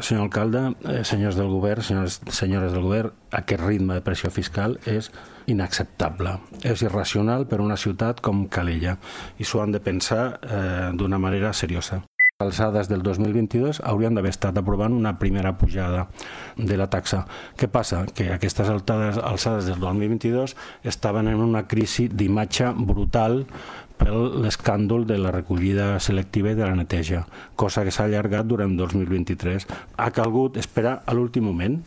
Senyor alcalde, senyors del govern, senyores del govern, aquest ritme de pressió fiscal és inacceptable. És irracional per a una ciutat com Calella i s'ho han de pensar d'una manera seriosa. A les alçades del 2022 haurien d'haver estat aprovant una primera pujada de la taxa. Què passa? Que aquestes alçades del 2022 estaven en una crisi d'imatge brutal per l'escàndol de la recollida selectiva i de la neteja, cosa que s'ha allargat durant 2023. Ha calgut esperar a l'últim moment